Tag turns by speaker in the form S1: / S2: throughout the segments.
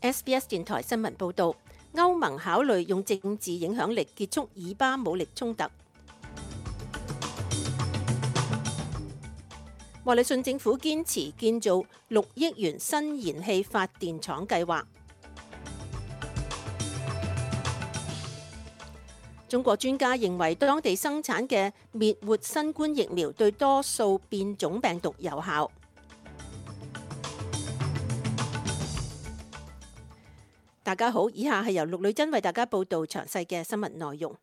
S1: SBS 電台新聞報導，歐盟考慮用政治影響力結束以巴武力衝突。莫里遜政府堅持建造6億元新燃氣發電廠計劃。中國專家認為，當地生產嘅滅活新冠疫苗對多數變種病毒有效。大家好，以下係由陸女真為大家報道詳細嘅新聞內容。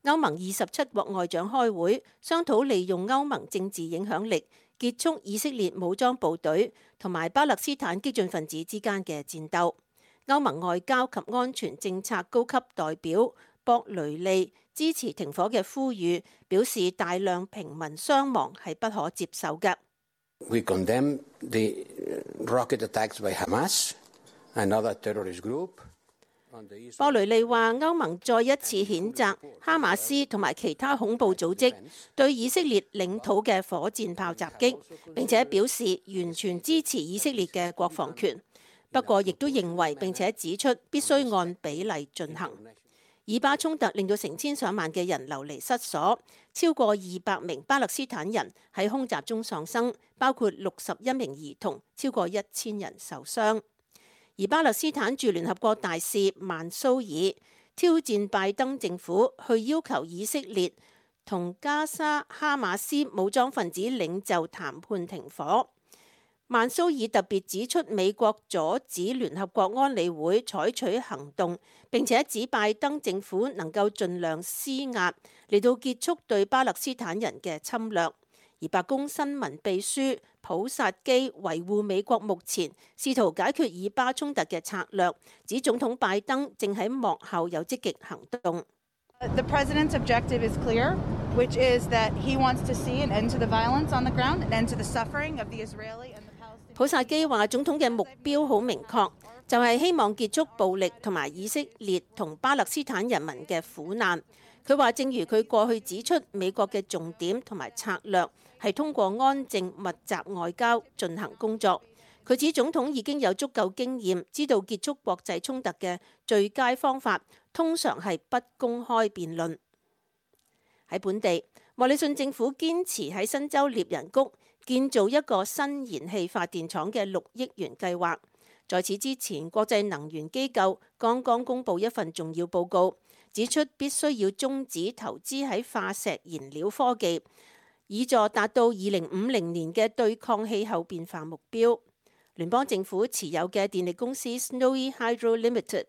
S1: 歐盟27國外長開會，商討利用歐盟政治影響力結束以色列武裝部隊同埋巴勒斯坦激進分子之間嘅戰鬥。歐盟外交及安全政策高級代表博雷利支持停火嘅呼籲，表示大量平民傷亡係不可接受嘅。
S2: We condemn the rocket attacks by Hamas and other terrorist group.
S1: 博雷利話：歐盟再一次譴責哈馬斯同埋其他恐怖組織對以色列領土嘅火箭炮襲擊，並且表示完全支持以色列嘅國防權。不過，亦都認為並且指出必須按比例進行。以巴衝突令到成千上萬嘅人流離失所，超過200名巴勒斯坦人喺空襲中喪生，包括61名兒童，超過1000人受傷。而巴勒斯坦駐聯合國大使曼蘇爾挑戰拜登政府，去要求以色列同加沙哈馬斯武裝分子領袖談判停火。曼蘇爾特別指出，美國阻止聯合國安理會採取行動，並且指拜登政府能夠盡量施壓嚟到結束對巴勒斯坦人嘅侵略。而白宮新聞秘書普薩基維護美國目前試圖解決以巴衝突嘅策略，指總統拜登正喺幕後有積極行動。
S3: The president's objective is clear, which is that he wants to see an end to the violence on the ground, an end to the suffering of the Israeli and the Palestinian.
S1: 普薩基話：總統嘅目標好明確，就係希望結束暴力同埋以色列同巴勒斯坦人民嘅苦難。佢話：正如佢過去指出，美國嘅重點同埋策略係通過安靜密集外交進行工作。佢指總統已經有足夠經驗，知道結束國際衝突嘅最佳方法通常係不公開辯論。喺本地，莫里遜政府堅持喺新州獵人谷建造一個新燃氣發電廠嘅6億元計劃。在此之前，國際能源機構剛剛公布一份重要報告，指出必須要終止投資喺化石燃料科技，以助達到2050年嘅對抗氣候變化目標。聯邦政府持有嘅電力公司 Snowy Hydro Limited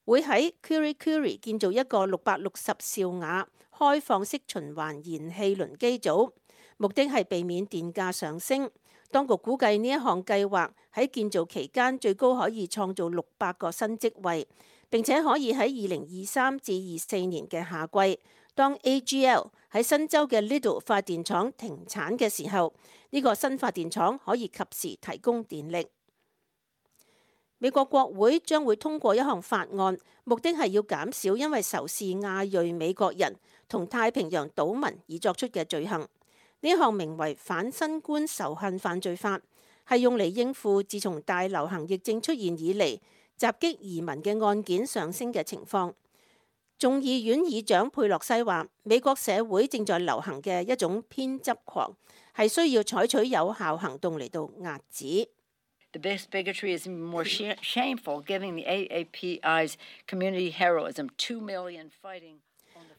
S1: 會喺 Kurri Kurri 建造一個660兆瓦開放式循環燃氣輪機組，目的係避免電價上升。當局估計呢一項計劃喺建造期間最高可以創造600個新職位，並且可以喺2023至24年嘅夏季，當 AGL 喺新州嘅 Liddell 發電廠停產嘅時候，呢個新發電廠可以及時提供電力。美國國會將會通過一項法案，目的係要減少因為仇視亞裔美國人同太平洋島民而作出嘅罪行。呢項名為反新冠仇恨犯罪法，係用嚟應付自從大流行疫症出現以嚟襲擊移民嘅案件上升嘅情況。眾議院議長佩洛西話：美國社會正在流行嘅一種偏執狂，係需要採取有效行動嚟到壓止。
S4: This bigotry is more shameful, given the AAPI's community heroism, 2 million fighting.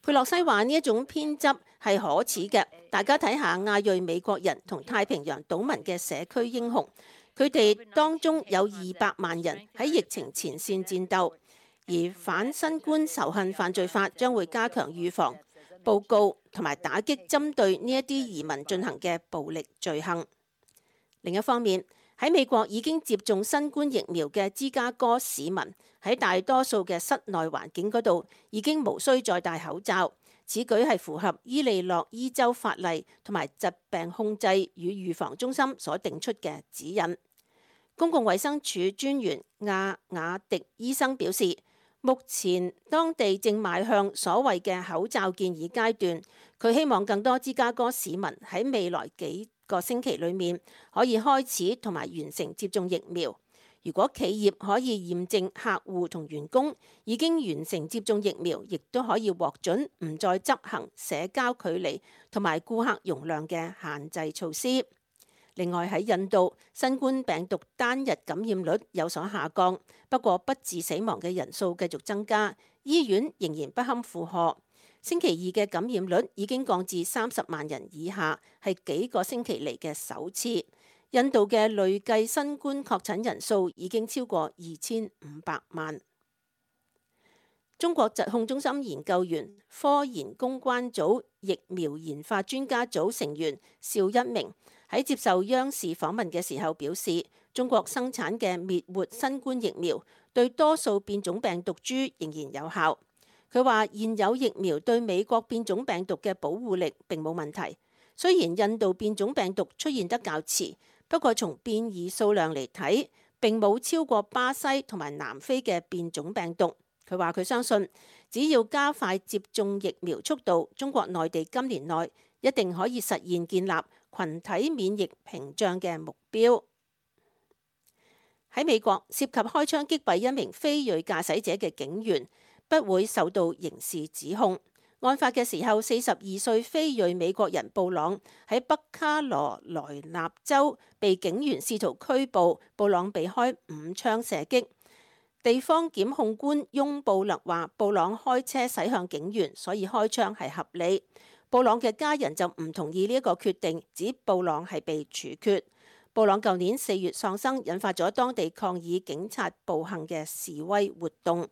S1: 佩洛西話：呢一種偏執係可恥嘅。大家睇下亞裔美國人同太平洋島民嘅社區英雄，佢哋當中有200萬人喺疫情前線戰鬥。而反新冠仇恨犯罪法將會加強預防、報告同埋打擊針對呢一啲移民進行嘅暴力罪行。另一方面，喺美國已經接種新冠疫苗嘅芝加哥市民喺大多數嘅室內環境嗰度已經無需再戴口罩。此舉係符合伊利諾伊州法例同埋疾病控制與預防中心所定出嘅指引。公共衛生署專員亞雅迪醫生表示，目前當地正邁向所謂嘅口罩建議階段。佢希望更多芝加哥市民喺未來幾個星期裏面可以開始同埋完成接種疫苗。如果企業可以驗證客戶同員工已經完成接種疫苗，亦都可以獲准唔再執行社交距離同埋顧客容量嘅限制措施。另外喺印度，新冠病毒單日感染率有所下降，不過不治死亡嘅人數繼續增加，醫院仍然不堪負荷。星期二嘅感染率已經降至30萬人以下，係幾個星期嚟嘅首次。印度嘅累計新冠確診人數已經超過2500萬。中國疾控中心研究員、科研公關組疫苗研發專家組成員邵一鳴喺接受央視訪問嘅時候表示，中國生產嘅滅活新冠疫苗對多數變種病毒株仍然有效。佢話現有疫苗對美國變種病毒嘅保護力並冇問題，雖然印度變種病毒出現得較遲，不過從變異數量嚟睇，並冇超過巴西同埋南非嘅變種病毒。佢話佢相信，只要加快接種疫苗速度，中國內地今年內一定可以實現建立群體免疫屏障嘅目標。喺美國，涉及開槍擊斃一名非裔駕駛者嘅警員不會受到刑事指控。案發嘅時候，42歲非裔美國人布朗喺北卡羅來納州被警員試圖拘捕，布朗被開5槍射擊。地方檢控官翁布勒話，布朗開車駛向警員，所以開槍係合理。布朗嘅家人就唔同意呢一個決定，指布朗係被處決。布朗舊年4月喪生，引發咗當地抗議警察暴行嘅示威活動。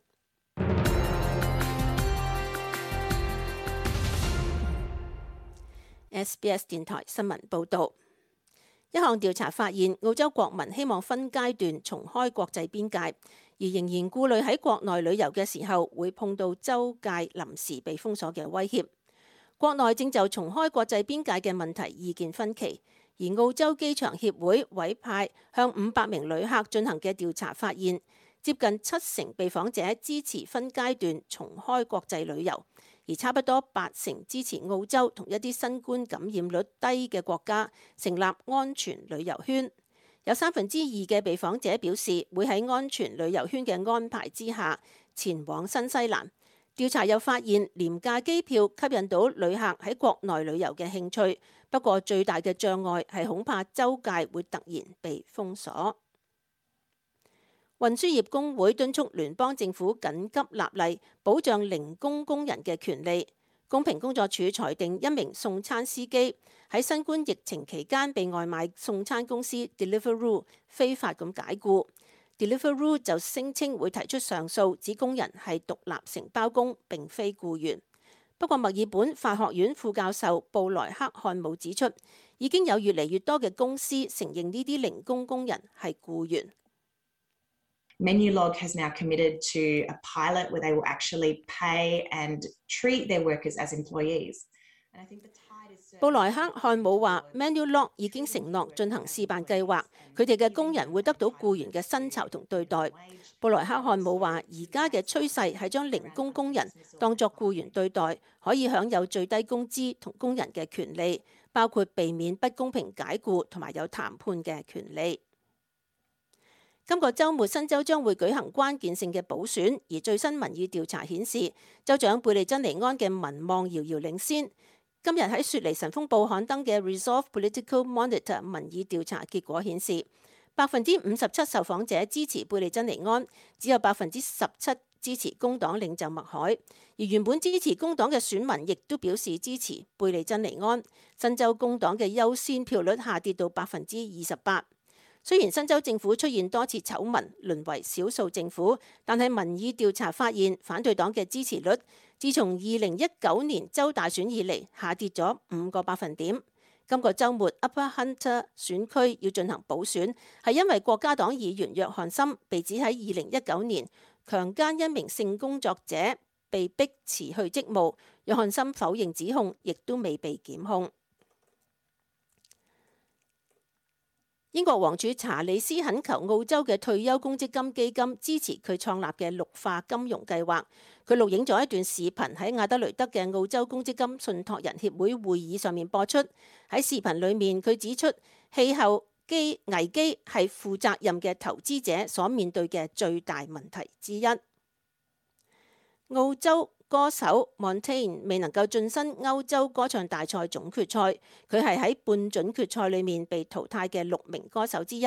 S1: SBS 電台新聞報導，一項調查發現，澳洲國民希望分階段重開國際邊界，而仍然顧慮喺國內旅遊嘅時候會碰到州界臨時被封鎖嘅威脅。國內正就重開國際邊界嘅問題意見分歧，而澳洲機場協會委派向500名旅客進行嘅調查發現，接近70%被訪者支持分階段重開國際旅遊，而差不多80%支持澳洲同一啲新冠感染率低嘅國家成立安全旅遊圈。有2%嘅被訪者表示會喺安全旅遊圈嘅安排之下前往新西蘭。調查又發現，廉價機票吸引到旅客喺國內旅遊嘅興趣，不過最大嘅障礙係恐怕州界會突然被封鎖。運輸業工會敦促聯邦政府緊急立例，保障零工工人嘅權利。公平工作處裁定一名送餐司機喺新冠疫情期間被外賣送餐公司 Deliveroo 非法咁解僱。Deliveroo 就聲稱會提出上訴，指工人係獨立承包工，並非僱員。不過墨爾本法學院副教授布萊克漢姆指出，已經有越嚟越多嘅公司承認呢啲零工工人係僱員。
S5: Menulog has now committed to a pilot where they will actually pay and treat their workers as employees.
S1: 布萊克漢姆話 Menulog 已經承諾進行試辦計劃，佢哋嘅工人會得到僱員嘅薪酬同對待。布萊克漢姆話而家嘅趨勢係將零工工人當作僱員對待，可以享有最低工資同工人嘅權利，包括避免不公平解僱同埋有談判嘅權利。今個週末新州將會舉行關鍵性嘅補選，而最新民意調查顯示，州長貝利珍尼安嘅民望遙遙領先。今日喺雪梨晨鋒報刊登嘅 Resolve Political Monitor 民意調查結果顯示，57%受訪者支持貝利珍尼安，只有17%支持工黨領袖麥凱，而原本支持工黨嘅選民亦都表示支持貝利珍尼安。新州工黨嘅優先票率下跌到28%。雖然新州政府出現多次醜聞，淪為少數政府，但係民意調查發現反對黨嘅支持率自從2019年州大選以嚟下跌咗5個百分點。今個週末 Upper Hunter 選區要進行補選，係因為國家黨議員約翰森被指喺2019年強姦一名性工作者，被逼辭去職務。約翰森否認指控，亦都未被檢控。英國王儲查理斯懇求澳洲嘅退休公積金基金支持佢創立嘅綠化金融計劃。佢錄影咗一段視頻喺亞德雷德嘅澳洲公積金信託人協會會議上面播出。喺視頻裏面，佢指出氣候危機係負責任嘅投資者所面對嘅最大問題之一。澳洲歌手 Montaigne 未能夠晉身歐洲歌唱大賽總決賽，佢係喺半準決賽裏面被淘汰嘅6名歌手之一。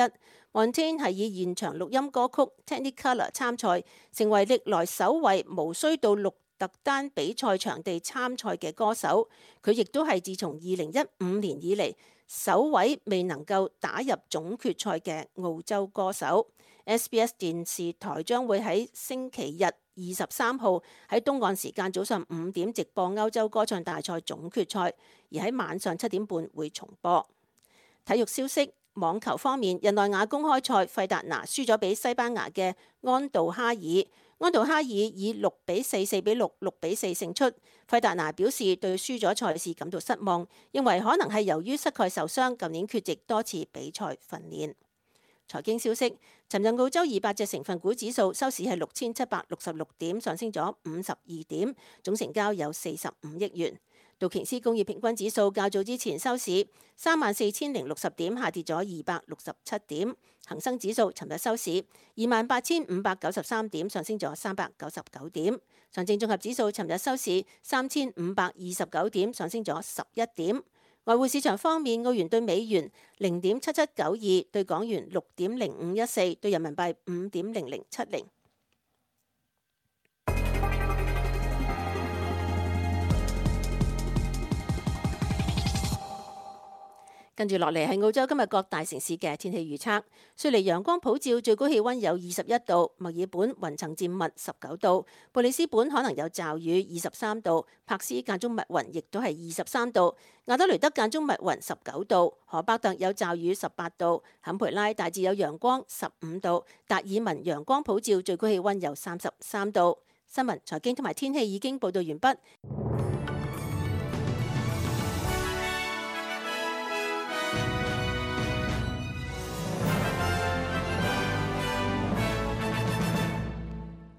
S1: Montaigne 係以現場錄音歌曲 Technicolor 參賽，成為歷來首位無需到鹿特丹比賽場地參賽嘅歌手。佢亦都係自從2015年以嚟首位未能夠打入總決賽嘅澳洲歌手。SBS 電視台將會喺星期日23號喺東岸時間早上5點直播歐洲歌唱大賽總決賽，而喺晚上7點半會重播。體育消息，網球方面，日內瓦公開賽費達拿輸咗俾西班牙嘅安道哈爾，安道哈爾以6比4、4比6、6比4勝出。費達拿表示對輸咗賽事感到失望，認為可能係由於膝蓋受傷，舊年缺席多次比賽訓練。財經消息，尋日澳洲200隻成分股指數收市係6766點，上升咗52點，總成交有45億元。道瓊斯工業平均指數較早之前收市34060點，下跌咗267點。恒生指數尋日收市28593點，上升咗399點。上證綜合指數尋日收市3529點，上升咗11點。外匯市場方面，澳元對美元0.7792，對港元6.0514，對人民幣5.0070。跟住落嚟係澳洲今日各大城市嘅天氣預測。雪梨陽光普照，最高氣溫有21度；墨爾本雲層漸密19度；布里斯本可能有驟雨23度；柏斯間中密雲，亦都係23度；亞德雷德間中密雲19度；荷巴特有驟雨18度；坎培拉大致有陽光15度；達爾文陽光普照，最高氣溫有33度。新聞、財經同埋天氣已經報道完畢。